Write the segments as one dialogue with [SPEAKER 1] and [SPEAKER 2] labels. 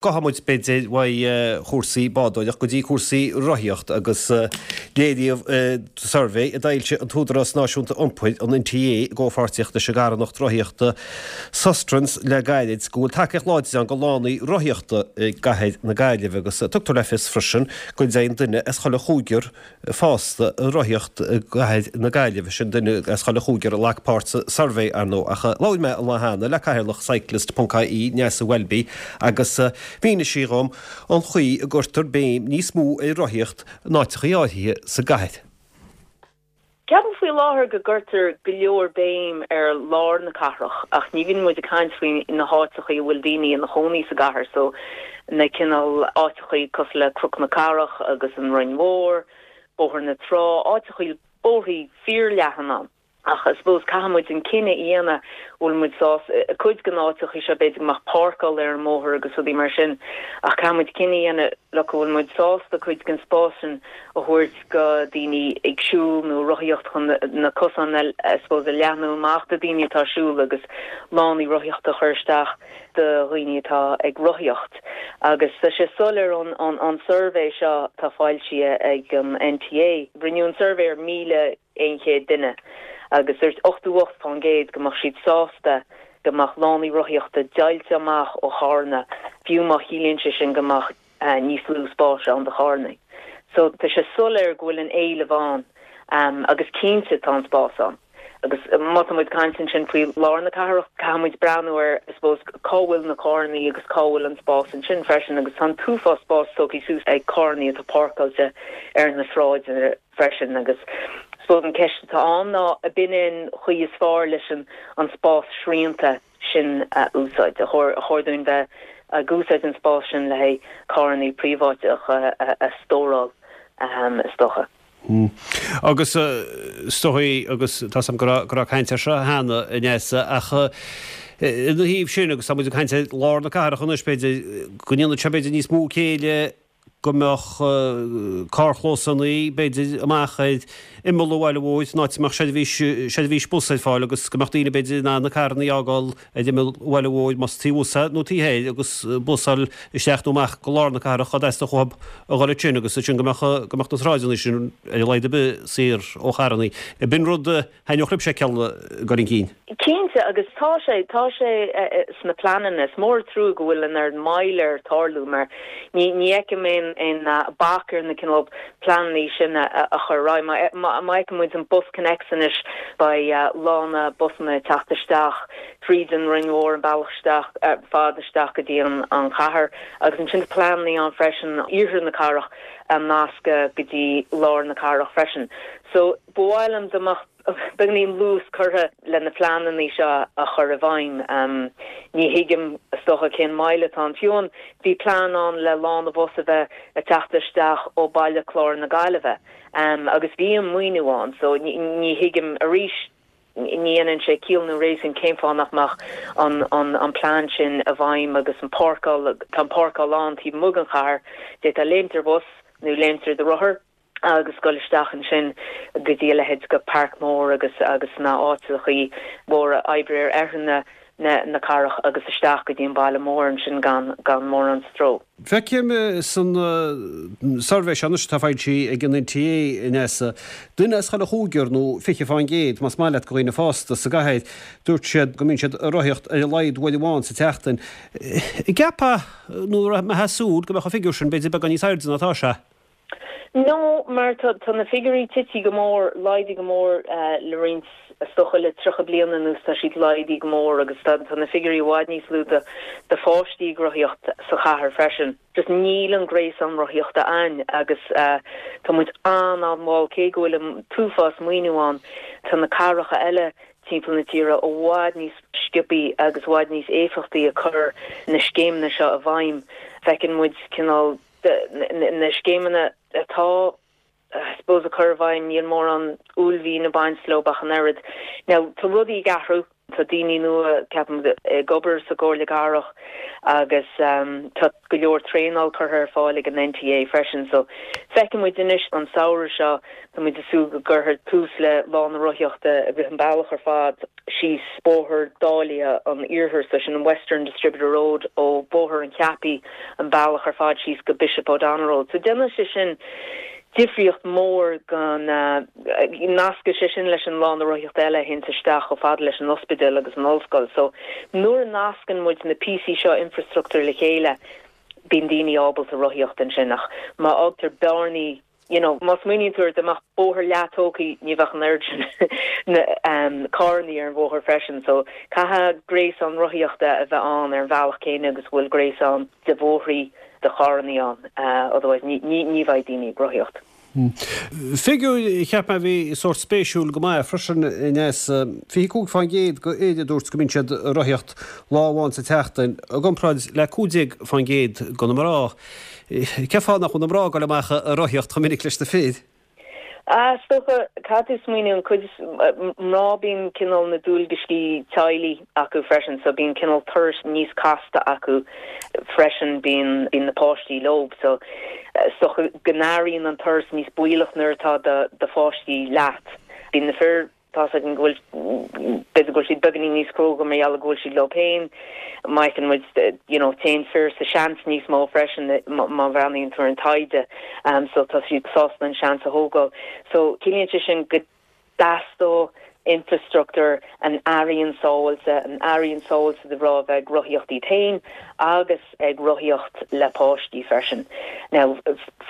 [SPEAKER 1] Gabhfaidh muid, b'fhéidir, uaidh chúrsaí bádóireacht go dtí cúrsaí rothaíocht agus léiríodh suirbhé a d'fhoilsigh an tÚdarás Náisiúnta Iompair, an NTA, i gcomhpháirtíocht leis an gcarthanacht rothaíochta Sustrans le gairid go bhfuil tacaíocht láidir ann do lánaí rothaíochta i gcathair na Gaillimhe agus tugtar le fios freisin go dtéann duine as chuile chúigear fásta ag rothaíocht i gcathair na Gaillimhe, sin duine as chuile chúigear a ghlac páirt sa suirbhé, ar ndóigh. Ach labhair mé an lá cheana le cathaoirleach Cyclist ponc ie, Neasa Welby, agus mhínigh sí dhom an chaoi a gcuirtear béim níos mó ar rothaíocht in áiteachaí áirithe sa gcathair.
[SPEAKER 2] Ceapaim faoi láthair go gcuirtear go leor béim ar lár na cathrach ach ní bhíonn muid ag caint faoi na háiteachaí a bhfuil daoine ina chónaí sa gcathair so na cineál áiteachaí cosúil le Cnoc na Cathrach agus an Rinn Mhór, Bóthar na Trá, áiteachaí bóithrí fíorleathan ann. Ach I suppose caithfidh muid an cinneadh a dhéanamh bhfuil muid sásta, cuid de na áiteachaí seo b'fhéidir go mbeadh páirceáil ar an mbóthar agus rudaí mar sin ach caithfidh muid cinneadh a dhéanamh look bhfuil muid sásta cuid den spás sin a thabhairt go daoine ag siúl nó rothaíocht chun na cosáin I suppose a leathnú amach do daoine atá ag siúl agus lánaí rothaíochta a chur isteach do dhaoine atá ag rothaíocht. Agus tá sé soiléir ón ón suirbhé seo atá foilsithe ag an NTA. Rinneadh an suirbhé ar 1,100 duine agus dúirt 88% go mbeadh siad sásta go mbeadh lánaí rothaíochta deighilte amach ó charranna fiú má chiallaíonn sé sin go mbeadh níos lú spáis ann do charranna. So tá sé soiléir go bhfuil an éileamh ann agus cinnte tá an spás ann. Agus má tá muid ag caint ansin faoi lár na cathrach, caithfidh muid breathnú ar, I suppose, cá bhfuil na carranna agus cá bhfuil an spás ansin freisin agus tá an t-uafás spáis tógtha suas ag carranna atá páirceáilte ar na sráideanna freisin agus I suppose an ceist atá ann ná ab in é an chaoi is fearr leis an spás srianta sin a úsáid. Ar chóir dúinn bheith ag úsáid an spáis sin le haghaidh carranna príobháideacha a stóráil, is dócha.
[SPEAKER 1] Agus is dóigh, agus tá 's agam go raibh caint air seo cheana, a Neasa, ach ina thaobh sin, agus tá muid ag caint ar lár na cathrach anois, b'fhéidir, go ndéanfadh sé b'fhéidir níos mó céille go mbeadh carrchlósanna, b'fhéidir, amach ar imeall an bhaile mhóir, in áit a mbeadh seirbhís, seirbhís bus ar fáil agus go mbeadh daoine, b'fhéidir, in ann na carranna a fhágáil ar imeall an bhaile mhóir, más taobh thuas é nó taobh thoir, agus bus a fháil isteach nó amach go lár na cathrach dá dteastódh uathu a dhul ansin agus ansin go mbeadh, go mbeadh na sráideanna sin ar a laghad ar bith saor ó charranna. B'in rud a thaitneodh libhse a fheiceáil ag dul chun cinn.
[SPEAKER 2] Cinnte, agus tá sé, tá sé sna pleananna. Is mór an trua go bhfuil an oiread moill air tarlú mar ní, ní fheicim aon, aon bac ar na cineál pleananna sin a, a chur ar aghaidh. Má, má fheiceann muid an BusConnects anois, beidh lána busanna ag teacht isteach tríd an Rinn Mhór, an bealach isteach, fad isteach go dtí an, an chathair agus ansin tá pleananna ann freisin iarthar na cathrach a nascadh go dtí lár na cathrach freisin. So, Ba mhaith liom dá mbeadh beagáinín luas curtha le na pleananna seo a chur i bhfeidhm. Ní thuigim, is dócha, cén moill atá ann. Fiú amháin, bhí plean ann le lána bhus a bheith ag teacht isteach ó Baile Chláir na Gaillimhe agus bhí an maoiniú ann so ní thuigim arís, ní dhéanann sé ciall nó réasún cén fáth nach mbeadh an plean sin i bhfeidhm agus an páirceáil, tá an páirceáil ann taobh amuigh den chathair, d'fhéadfá léimt ar bhus nó léimt ar do rothar. agus dul isteach ansin go dtí a leithéid de Páirc Mór agus agus na áiteachaí móra oibre ar oirthear na na cathrach agus isteach go dtí an baile mór ansin gan gan mórán stró.
[SPEAKER 1] Feicim san suirbhé seo anois atá foilsithe ag an NTA, a Neasa, duine as chuile chúigear, nó 20%, más maith leat, de dhaoine fásta sa gcathair, dúirt siad go mbíonn siad ag rothaíocht ar a laghad uair amháin sa tseachtain. An gceapfá, nó an mbeifeá ag súil go mbeadh an figiúr sin b'fhéidir beagán níos airde ná atá sé?
[SPEAKER 2] No, mar tá tá na figiúirí tite go mór, laghdaithe go mór le roinnt, is dócha le 30 bliain anuas tá siad laghdaithe go mór agus tá tá na figiúirí i bhfad níos lú do do pháistí ag rothaíocht sa chathair freisin. Just níl an gréasán rothaíochta ann agus tá muid an-an-mhall cé go bhfuil an t-uafás maoiniú ann, tá na cathracha eile timpeall na tíre i bhfad níos sciobthaí agus i bhfad níos éifeachtaí ag cur na scéimeanna seo i bhfeidhm. Feiceann muid cineál na scéimeanna atá, I suppose, á gcur i bhfeidhm, níl mórán uaillmhian ag baint leo ach an oiread. Now, tá rudaí ag athrú. Tá daoine nua, ceapaim, ag obair sa gComhairle Cathrach agus tá go leor traenáil curtha ar fáil ag an NTA freisin. So feicfidh muid anois an samhradh seo, tá muid ag súil go gcuirfear tús le Lá na Rothaíochta i rith an bealach ar fad síos Bóthar Dáilithe an Iarthair, so sin an Western Distributor Road ó Bhóthar an Cheapaí an bealach ar fad síos go Bishop O'Donnell Road. So déanfaidh sé sin difríocht mhór go nascfaidh sé sin leis an lána rothaíochta eile a théanns isteach chomh fada leis an ospidéal agus an ollscoil. So nuair a nascann muid na píosaí seo infrastruchtúir le chéile bíonn daoine ábalta rothaíocht ansin ach má fhágtar bearnaí you know má smaoiníonn tú ar dá mbeadh bóthar leath tógtha ní bheadh an oiread sin carrannaí ar an bhóthar freisin. So caithfidh gréasán rothaíochta a bheith ann ar an bhealach céanna agus a bhfuil gréasán de bhóithrí do charrannaí ann, otherwise ní ní bheidh daoine ag rothaíocht.
[SPEAKER 1] Figiúr a cheap mé a bhí sórt spéisiúil go maith freisin, Neasa, 25% de fhir a dúirt go mbíonn siad ag rothaíocht lá amháin sa tseachtain, i gcomparáid le 15% de na mná. Cén fáth nach bhfuil na mná ag dul amach ag rothaíocht chomh minic leis na fir?
[SPEAKER 2] Ah, is dócha, caithfidh tú smaoineamh, an cuid is mná bíonn cineál na dualgaisí teaghlaigh acu freisin, so bíonn cineál turais níos casta acu freisin, bíonn, bíonn na páistí leob, so is dócha go n-airíonn an turas níos baolach nuair atá do, do pháistí leat. Bíonn na fir. Tá's againn go bhfuil, b'fhéidir go bhfuil siad beagáinín níos cróga mar gheall go bhfuil siad leo féin. Má fheiceann muid, you know, téann fir sa seans níos mó freisin má bhreathnaíonn tú ar an taighde. So tá siad sásta an seans a thógáil. So ciallaíonn sé sin go dteastódh infrastruchtúr an airíonn sábháilte, an airíonn sábháilte do mhná a bheith ag rothaíocht iad féin agus ag rothaíocht le páistí freisin. Now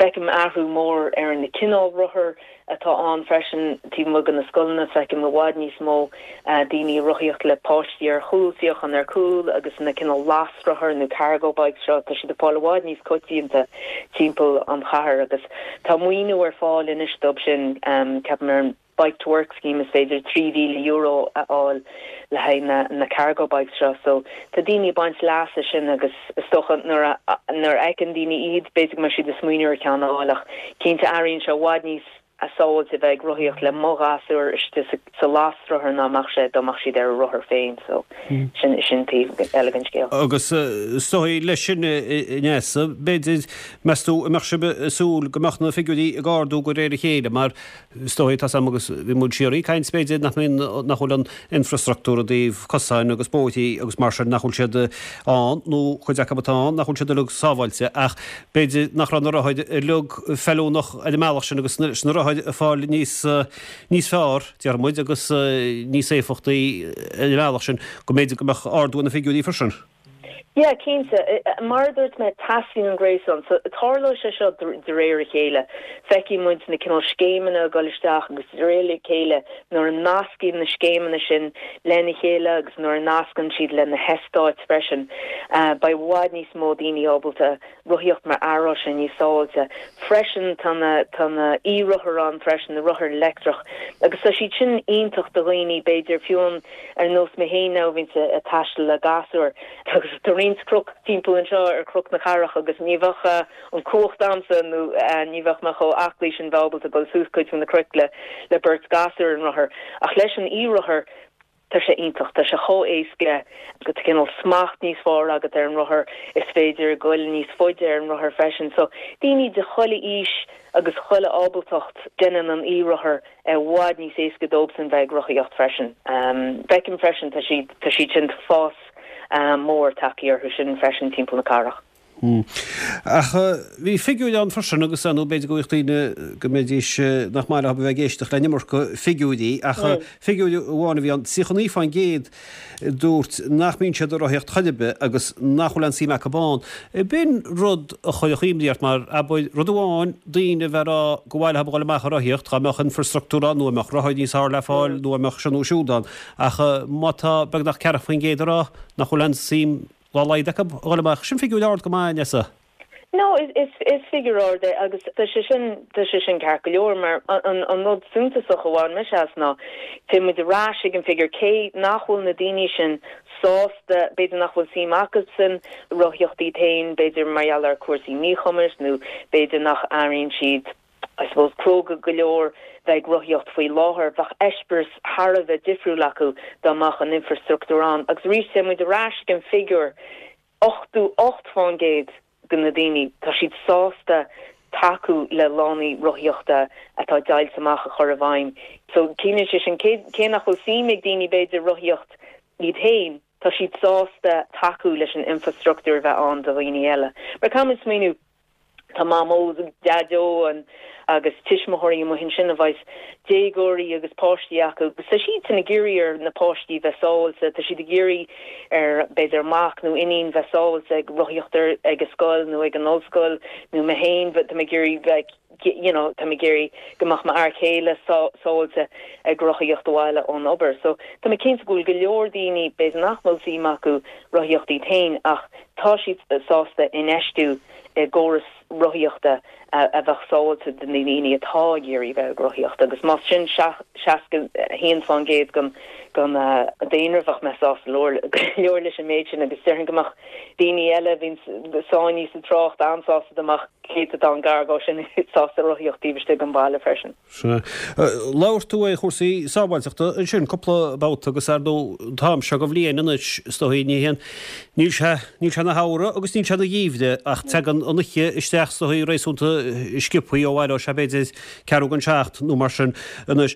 [SPEAKER 2] feicim athrú mór ar na cineál rothar atá ann freisin taobh amuigh de na scoileanna. Feicim i bhfad níos mó daoine ag rothaíocht le páistí ar chúl, suíochán ar cúl agus na cineál lasrothair nó cargo bikes seo, tá siad ag fáil i bhfad níos coitianta timpeall an chathair agus tá maoiniú ar fáil anois dóibh sin, ceapaim ar an Bike to Work scheme is féidir €3,000 a fháil le haghaidh na cargo bikes seo so tá daoine ag baint leas as sin agus is dócha nuair a nuair a fheiceann daoine iad b'fhéidir go mbeidh siad ag smaoineamh ar cheann a fháil ach cinnte airíonn sé i bhfad níos sábháilte a bheith ag rothaíocht le mo ghasúr istigh sa lasrothar ná mbeadh sé dá mbeadh siad ar a rothar féin so sin sin taobh eile den scéal.
[SPEAKER 1] Agus is dóigh leis sin a Neasa, b'fhéidir, meas tú an mbeadh sibh ag súil go mbeadh na figiúirí ag ardú de réir a chéile mar Is dóigh, tá's a'm agus bhí muid siar ag caint b'fhéidir nach mbíonn, nach bhfuil an infrastruchtúr i dtaobh cosáin agus bóithrí agus mar sin, nach bhfuil siad ann nó cuid acu atá ann nach bhfuil siad uilig sábháilte ach b'fhéidir nach raibh na rothair uilig feiliúnach ar an mbealach sin agus leis na rothair ag fáil níos, níos fearr, déarfaidh muid, agus níos éifeachtaí ar an mbealach sin go mb'fhéidir go mbeadh ardú ar na figiúirí freisin.
[SPEAKER 2] Yeah, cinnte. Mar a dúirt mé, teastaíonn an gréasán. So, tarlóidh sé seo de réir a chéile. Feicfidh muid na cineál scéimeanna ag dul isteach agus de réir a chéile nuair a nascann na scéimeanna sin lena chéile agus nuair a nascann siad le na heastáit freisin, beidh i bhfad níos mó daoine ábalta rothaíocht mar aireoidh sé níos sábháilte. Freisin tá na tá na e-rothair ann freisin, na rothair leictreach agus tá siad sin iontach do dhaoine b'fhéidir fiú an ar nós mé féin now a bhíonns ag taisteal le gasúir agus tá roinnt cnoc timpeall anseo ar Chnoc na Cathrach agus ní bheadh an cumhacht a'msa nó ní bheadh mé chomh aclaí sin bheith ábalta dul suas cuid de na cnoic le le beirt gasúr ar an rothar ach leis an e-rothar Tá sé iontach, tá sé chomh éasca, tá cineál smacht níos fearr agat ar an rothar, is féidir goil níos faide ar an rothar freisin. So, daoine de chuile aois agus chuile ábaltacht, déanann an e-rothar i bhfad níos éasca dóibhsan bheith ag rothaíocht freisin. Feicim freisin, tá siad, tá siad sin, tá fás mór tagtha orthu sin freisin timpeall na cathrach.
[SPEAKER 1] Ach bhí figiúir ann freisin agus nó b'fhéidir go bhfuil daoine go mbeidís nach maith leo a bheith ag éisteacht le an iomarca figiúirí ach figiúir amháin a bhí ann, 39% a dúirt nach mbíonn siad ag rothaíocht chor ar bith agus nach bhfuil aon suim acu ann. B'in rud a chuirfeadh imní ort mar, abair, rud amháin daoine a bheith ag rá gur mhaith leo a dhul amach ag rothaíocht dá mbeadh infrastruchtúr ann nó dá mbeadh rothair níos fearr le fáil nó dá mbeadh seo nó siúd ann ach má tá beagnach 40% ag rá nach bhfuil aon suim dá laghad acu a dhul amach. Sin figiúir ard go maith, Neasa.
[SPEAKER 2] No, is figiúr ard é agus tá sé sin, tá sé sin ceart go leor mar an rud suntasach a bhain mise as ná téann muid ar ais ag an figiúr cé nach bhfuil na daoine sin sásta, b'fhéidir nach bhfuil suim acusan rothaíocht iad féin, b'fhéidir mar gheall ar cúrsaí míchumais nó b'fhéidir nach airíonn siad. I suppose, cróga go leor bheith ag rothaíocht faoi láthair, bheadh eispéireas thar a bheith difriúil acu dá mbeadh an infreastruchtúr ann. Agus arís, téann muid ar ais ag an figiúr, 88% de na daoine, tá siad sásta tacú le lánaí rothaíochta atá deighilte amach a chur i bhfeidhm. So, ciallaíonn sé sin, cé nach bhfuil suim ag daoine, b'fhéidir, rothaíocht iad féin, tá siad sásta tacú leis an infreastruchtúr a bheith ann do dhaoine eile. Mar caithfidh muid smaoineamh, Tá mamó, daideo agus tuismitheoirí amuigh ansin a bheas déagóirí agus páistí acu agus tá siadsan ag iarraidh ar na páistí bheith sábháilte, tá siad ag iarraidh ar b'fhéidir mac nó iníon bheith sábháilte ag rothaíocht ar ag an scoil nó ag an ollscoil nó mé féin tá mé ag iarraidh bheith you know tá mé ag iarraidh go mbeadh m'fhear céile sábháilte ag rothaíocht abhaile ón obair. So tá mé cinnte go bhfuil go leor daoine b'fhéidir nach bhfuil suim acu rothaíocht iad féin ach tá siad sásta infheistiú i gcóras rothaíochta a bheadh sábháilte do na daoine atá ag iarraidh bheith ag rothaíocht agus más sin 61% den daonra bheadh mé sásta go leor leis an méid sin agus déarfainn go mbeadh daoine eile a bhíonn sáinnithe sa trácht an-sásta dá mbeadh céatadán gar dhó sin sásta rothaíocht taobh istigh den bhaile freisin.
[SPEAKER 1] Sea. Labhair tú ar chúrsaí sábháilteachta ansin cúpla babhta agus ar ndóigh an t-am seo den bhliain anois is dóigh ní haon, níl sé, níl sé ina shamhradh agus níl sé ina gheimhreadh ach tagann an oíche isteach is dóigh réasúnta sciobthaí ó bhaile ó sé b'fhéidir ceathrú don seacht nó mar sin anois.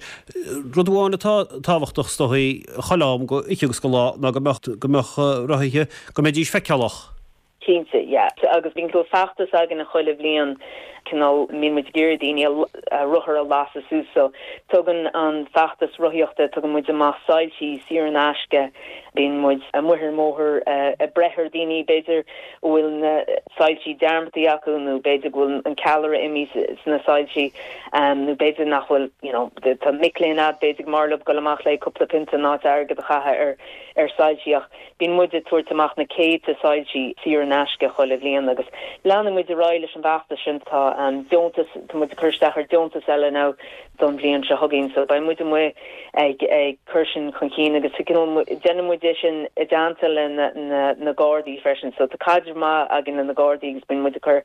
[SPEAKER 1] Rud amháin atá tábhachtach is dóigh chuile am go oíche agus go lá ná go mbeadh, go mbeadh rothaithe, go mbeidís feiceálach.
[SPEAKER 2] Cinnte, yeah. Agus bíonn cineál feachtas againne chuile bhliain, cineál, mbíonn muid ag iarraidh daoine a rothair a lasadh suas. So, tugann an feachtas rothaíochta, tugann muid amach soilsí saor in aisce, bíonn muid amuigh ar an mbóthar ag breith ar daoine b'fhéidir a bhfuil na soilsí dearmadtaí acu nó b'fhéidir go bhfuil an ceallra imithe sna soilsí nó b'fhéidir nach bhfuil, you know, tá mic léinn a'd, b'fhéidir go mb'fhearr leo dul amach le cúpla pionta in áit airgead a chaitheamh ar ar soilsí ach bíonn muid ag tabhairt amach na céadta soilsí saor in aisce chuile bhliain agus leanfaidh muid ar aghaidh leis an bhfeachtas sin. Tá deontas, tá muid ag cur isteach ar deontas eile now don bhliain seo chugainn so beidh muid amuigh ag ag cur sin chun cinn agus déanann muid é sin i dteannta le na na na Gardaí freisin so tá caidreamh maith againn le na Gardaí agus bíonn muid ag cur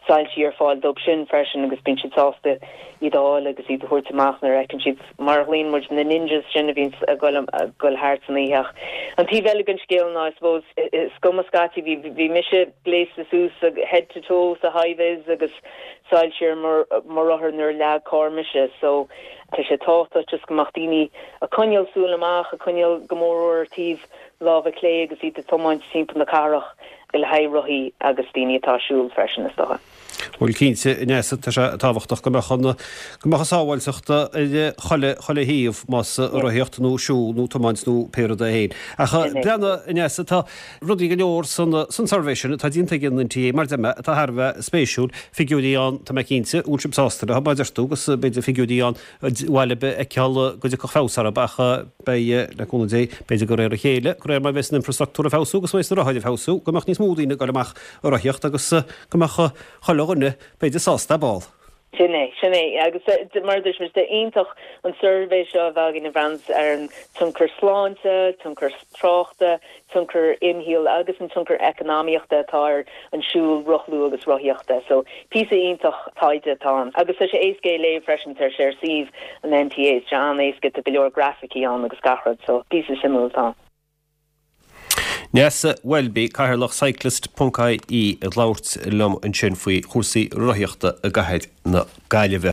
[SPEAKER 2] soilsí ar fáil dóibh sin freisin agus bíonn siad sásta iad a fháil agus iad a thabhairt amach nuair a fheiceann siad mar a ghlaonn muid na ninjas sin a bhíonns ag goil thart san oíche. Ach an taobh eile den scéal ná, I suppose, is cuma scaití, bhí, bhí mise gléasta suas head to toe sa high-vis agus soilsí ar mo rothar nuair a leag carr mise. So, tá sé tábhachtach just go mbeadh daoine ag coinneáil súil amach, ag coinneáil go mór mhór ar taobh láimhe clé agus iad ag tiomáint timpeall na cathrach le haghaidh rothaí agus daoine atá ag siúl freisin, is dócha.
[SPEAKER 1] Bhuel, cinnte, a Neasa, tá sé tábhachtach go mbeadh an, go mbeadh an sábháilteacht ar chuile, chuile thaobh, más rothaíocht nó siúl nó tiomáint nó pé rud é féin. Ach breathnaigh, a Neasa, tá rudaí go leor san, san suirbhé sin atá déanta ag an NTA, mar a deir mé, atá thar a bheith spéisiúil, figiúirí ann, tá mé cinnte, go bhfuil sibh sásta leo, mar a deir tú, agus b'fhéidir figiúirí ann ba mhaith libh a fheiceáil go dtiocfadh feabhas orthu, ach beidh, le cúnamh Dé, b'fhéidir de réir a chéile, de réir mar a bheas an infrastruchtúr ag feabhsú agus a bheas na rothair ag feabhsú, go mbeadh níos mó daoine ag dul amach ag rothaíocht agus go mbeadh chuile dhuine, b'fhéidir, sásta ar ball.
[SPEAKER 2] Sin é, sin é. Agus mar a dúirt mé, is iontach an suirbhé seo a bheith againn a bhreathnaíonns ar an tionchar sláinte, tionchar tráchta, tionchar imshaoil agus an tionchar eacnamaíochta atá ar an siúl, rothlú agus rothaíochta. So, píosa iontach taighde atá ann. Agus tá sé éasca é a léamh freisin, tá sé ar suíomh an NTA, tá sé an-éasca, tá go leor grafaicí ann agus gach rud, so píosa suimiúil atá ann.
[SPEAKER 1] Neasa Welby, Cathaoirleach Cyclist ponc IE ag labhairt liom ansin faoi chúrsaí rothaíochta i gcathair na Gaillimhe.